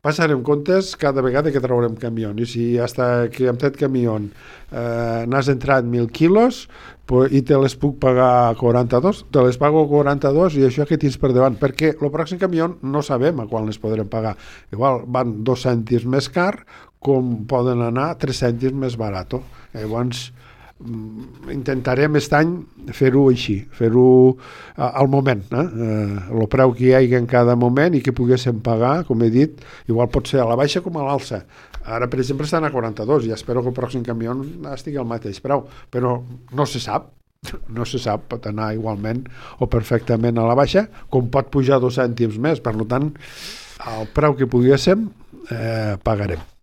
passarem comptes cada vegada que traurem camió, i si hasta que amb aquest camió n'has entrat 1.000 quilos i te les puc pagar 42, te les pago 42 i això que tens per davant, perquè el pròxim camió no sabem a quan les podrem pagar. Igual van 2 cèntims més car com poden anar 3 cèntims més barat. Llavors intentarem aquest any fer-ho així, fer-ho al moment, el preu que hi hagi en cada moment i que poguéssim pagar, com he dit, igual pot ser a la baixa com a l'alça. Ara, per exemple, estan a 42 i espero que el pròxim camió estigui al mateix preu, però no se sap, pot anar igualment o perfectament a la baixa, com pot pujar 2 cèntims més, per tant, el preu que poguéssim pagarem.